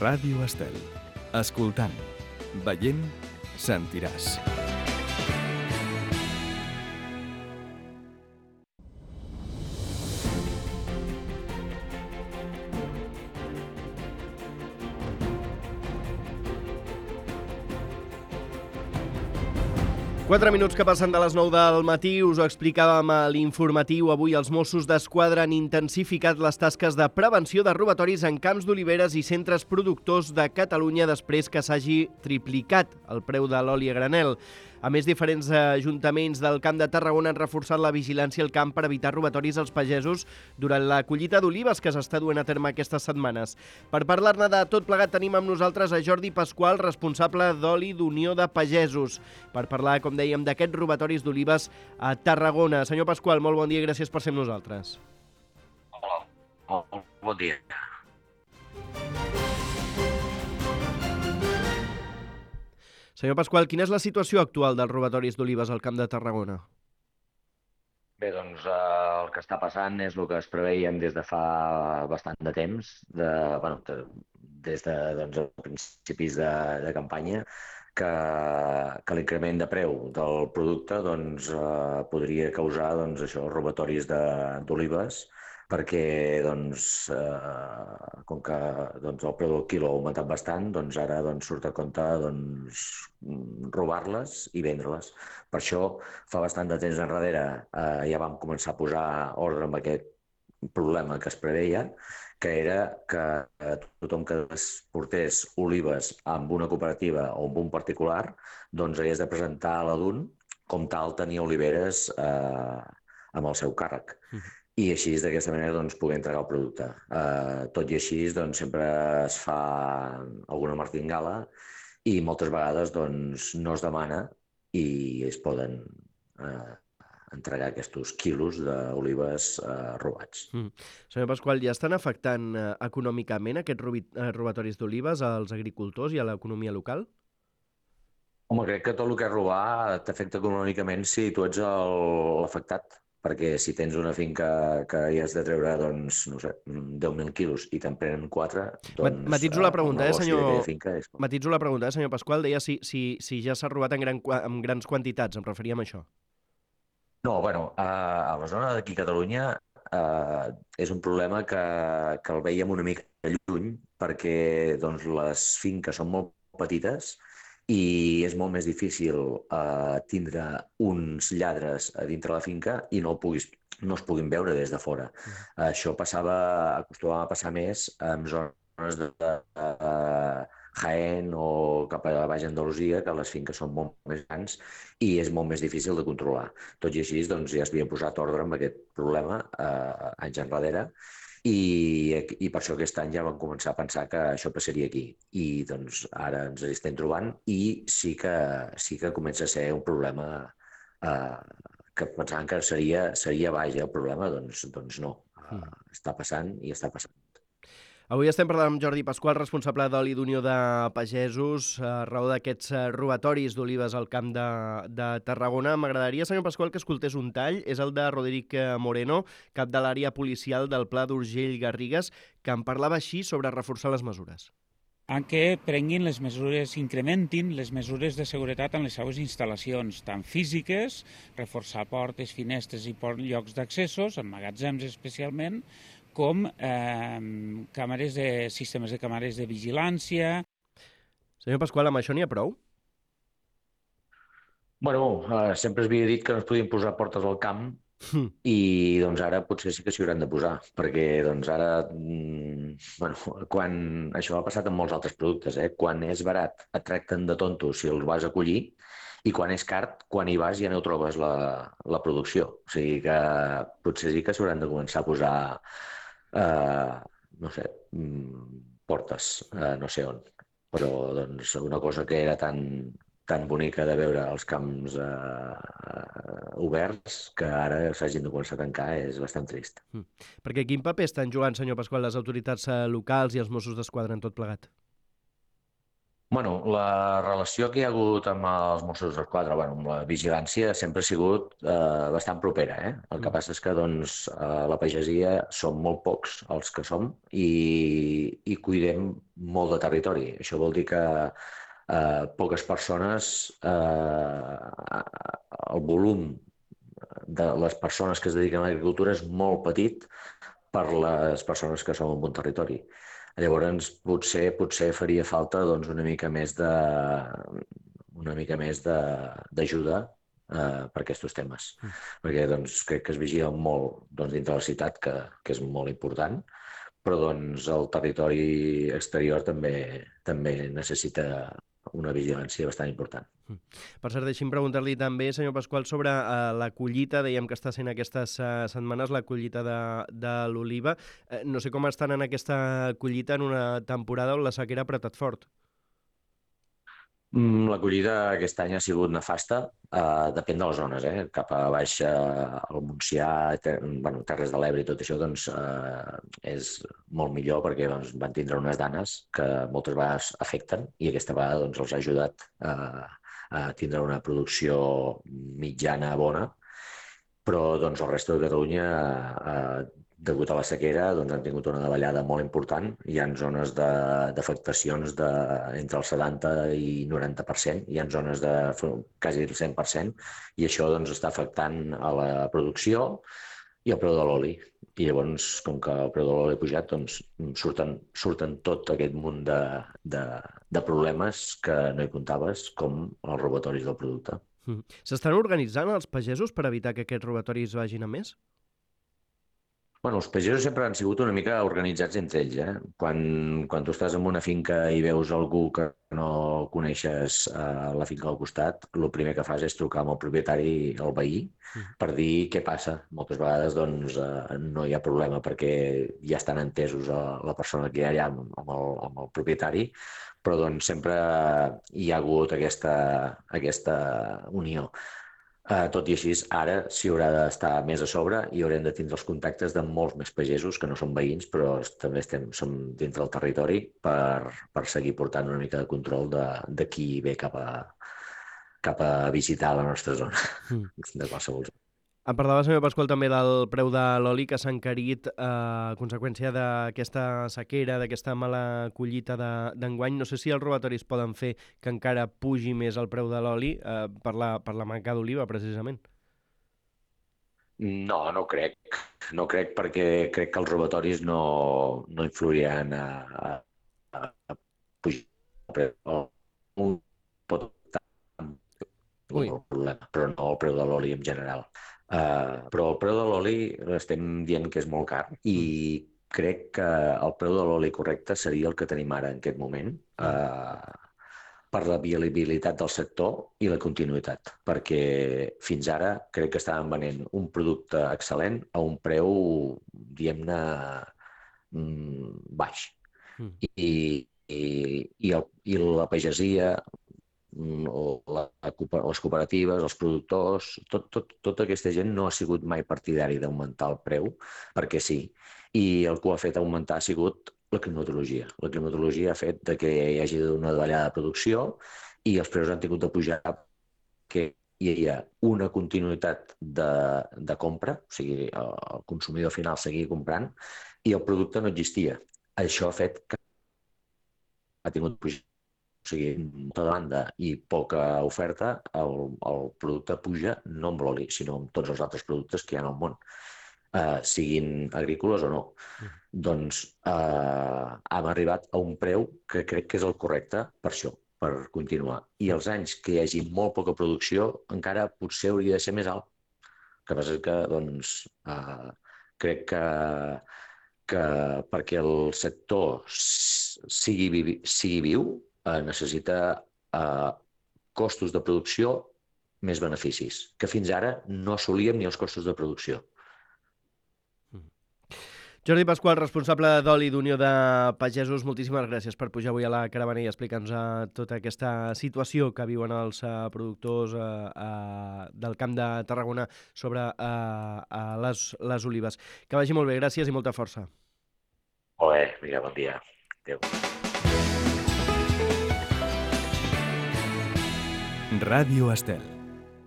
Ràdio Estel. Escoltant, veient, sentiràs. Quatre minuts que passen de les 9 del matí, us ho explicàvem a l'informatiu. Avui els Mossos d'Esquadra han intensificat les tasques de prevenció de robatoris en camps d'oliveres i centres productors de Catalunya després que s'hagi triplicat el preu de l'oli a granel. A més, diferents ajuntaments del Camp de Tarragona han reforçat la vigilància al camp per evitar robatoris als pagesos durant la collita d'olives que s'està duent a terme aquestes setmanes. Per parlar-ne de tot plegat tenim amb nosaltres a Jordi Pasqual, responsable d'Oli d'Unió de Pagesos, per parlar, com dèiem, d'aquests robatoris d'olives a Tarragona. Senyor Pasqual, molt bon dia i gràcies per ser amb nosaltres. Hola, molt bon dia. Senyor Pasqual, quina és la situació actual dels robatoris d'olives al Camp de Tarragona? Bé, doncs el que està passant és el que es preveien des de fa bastant de temps, des de principis de campanya, que l'increment de preu del producte podria causar robatoris d'olives, perquè com que el preu del quilo ha augmentat bastant, ara surt a compte robar-les i vendre-les. Per això, fa bastant de temps enrere ja vam començar a posar ordre amb aquest problema que es preveia, que era que tothom que portés olives amb una cooperativa o amb un particular hagués de presentar a la DUN com tal tenir oliveres amb el seu càrrec. I així, d'aquesta manera, poder entregar el producte. Tot i així, sempre es fa alguna martingala i moltes vegades no es demana i es poden entregar aquests quilos d'olives robats. Senyor Pasqual, ja estan afectant econòmicament aquests robatoris d'olives als agricultors i a l'economia local? Home, crec que tot el que és robar t'afecta econòmicament si tu ets l'afectat, perquè si tens una finca que hi has de treure, 10.000 quilos i te'n prenen 4, Matitzo la pregunta, senyor Pasqual. Senyor Pasqual, deia si ja s'ha robat en grans quantitats, em referia a això. No, a la zona d'aquí a Catalunya és un problema que el veiem una mica lluny, perquè les finques són molt petites i és molt més difícil tindre uns lladres a dintre la finca i no es puguin veure des de fora. Això acostumava a passar més en zones de Jaén o cap a Baix Andalusia, que les finques són molt més grans i és molt més difícil de controlar. Tot i així, ja s'havia posat ordre amb aquest problema anys enrere i per això aquest any ja vam començar a pensar que això passaria aquí. I ara ens hi estem trobant i sí que comença a ser un problema que pensàvem que seria baix el problema, no. Està passant i està passant. Avui estem parlant amb Jordi Pasqual, responsable d'Oli d'Unió de Pagesos, a raó d'aquests robatoris d'olives al Camp de Tarragona. M'agradaria, senyor Pasqual, que escoltés un tall. És el de Roderic Moreno, cap de l'àrea policial del Pla d'Urgell-Garrigues, que en parlava així sobre reforçar les mesures. Que prenguin les mesures, incrementin les mesures de seguretat en les seues instal·lacions, tant físiques, reforçar portes, finestres i llocs d'accessos, en magatzems especialment, com sistemes de càmeres de vigilància. Senyor Pasqual, amb això n'hi ha prou? Sempre es havia dit que no es podien posar portes al camp i ara potser sí que s'hi hauran de posar, perquè ara, quan això ha passat amb molts altres productes, quan és barat et tracten de tonto si els vas a collir i quan és car, quan hi vas ja no trobes la producció. O sigui que potser sí que s'hauran de començar a posar portes, no sé on, però una cosa que era tan bonica de veure els camps oberts que ara s'hagin de començar a tancar és bastant trist. Perquè quin paper estan jugant, senyor Pasqual, les autoritats locals i els Mossos d'Esquadra en tot plegat? Bueno, la relació que hi ha hagut amb els Mossos d'Esquadra, amb la vigilància, sempre ha sigut bastant propera. El que passa és que la pagesia som molt pocs els que som i cuidem molt de territori. Això vol dir que poques persones, el volum de les persones que es dediquen a l'agricultura és molt petit per les persones que som en un territori. Llavors, potser faria falta una mica més d'ajuda per aquests temes, perquè crec que es vigila molt dintre la ciutat, que és molt important, però el territori exterior també necessita una vigilància bastant important. Per cert, deixi'm preguntar-li també, senyor Pasqual, sobre la collita. Dèiem que està sent aquestes setmanes la collita de l'oliva. No sé com estan en aquesta collita en una temporada on la sequera ha apretat fort. La collita aquest any ha sigut nefasta, depèn de les zones, cap a baix al Montsià, Terres de l'Ebre i tot això, és molt millor perquè van tindre unes danes que moltes vegades afecten i aquesta vegada els ha ajudat a tindre una producció mitjana bona, però el resto de Catalunya, degut a la sequera, han tingut una davallada molt important. Hi ha zones d'afectacions entre el 70 i 90%, hi ha zones de quasi el 100%, i això està afectant a la producció i el preu de l'oli. I llavors, com que el preu de l'oli ha pujat, surten tot aquest munt de problemes que no hi comptaves, com els robatoris del producte. S'estan organitzant els pagesos per evitar que aquests robatoris vagin a més? Els pagesos sempre han sigut una mica organitzats entre ells. Quan tu estàs en una finca i veus algú que no coneixes a la finca al costat, el primer que fas és trucar amb el propietari, el veí, per dir què passa. Moltes vegades no hi ha problema perquè ja estan entesos la persona que hi ha allà amb el propietari, però sempre hi ha hagut aquesta unió. Tot i així, ara s'hi haurà d'estar més a sobre i haurem de tindre els contactes de molts més pagesos que no són veïns, però també som dintre del territori per seguir portant una mica de control de qui ve cap a visitar la nostra zona, de qualsevol zona. Em parlava, senyor Pasqual, també del preu de l'oli que s'ha encarit a conseqüència d'aquesta sequera, d'aquesta mala collita d'enguany. No sé si els robatoris poden fer que encara pugi més el preu de l'oli per la manca d'oliva, precisament. No crec. No crec, perquè crec que els robatoris no influiran a pujar el preu. Un pot optar un problema, però no el preu de l'oli en general. Però el preu de l'oli estem dient que és molt car i crec que el preu de l'oli correcte seria el que tenim ara en aquest moment per la viabilitat del sector i la continuïtat, perquè fins ara crec que estàvem venent un producte excel·lent a un preu, diguem-ne, baix. I la pagesia, les cooperatives, els productors, tota aquesta gent no ha sigut mai partidari d'augmentar el preu, perquè sí. I el que ho ha fet augmentar ha sigut la climatologia. La climatologia ha fet que hi hagi una davallada de producció i els preus han tingut de pujar, que hi havia una continuïtat de compra, o sigui, el consumidor final seguia comprant i el producte no existia. Això ha fet que ha tingut pujar. O sigui, molta demanda i poca oferta, el producte puja no amb l'oli, sinó amb tots els altres productes que hi ha al món, siguin agrícoles o no. Hem arribat a un preu que crec que és el correcte per això, per continuar. I els anys que hi hagi molt poca producció encara potser hauria de ser més alt. El que passa és que crec que perquè el sector sigui viu, necessita costos de producció més beneficis, que fins ara no assolíem ni els costos de producció. Jordi Pasqual, responsable d'Oli d'Unió de Pagesos, moltíssimes gràcies per pujar avui a la caravana i explicar-nos tota aquesta situació que viuen els productors del Camp de Tarragona sobre les olives. Que vagi molt bé, gràcies i molta força. Molt bé, vinga, bon dia. Adéu. Ràdio Estel.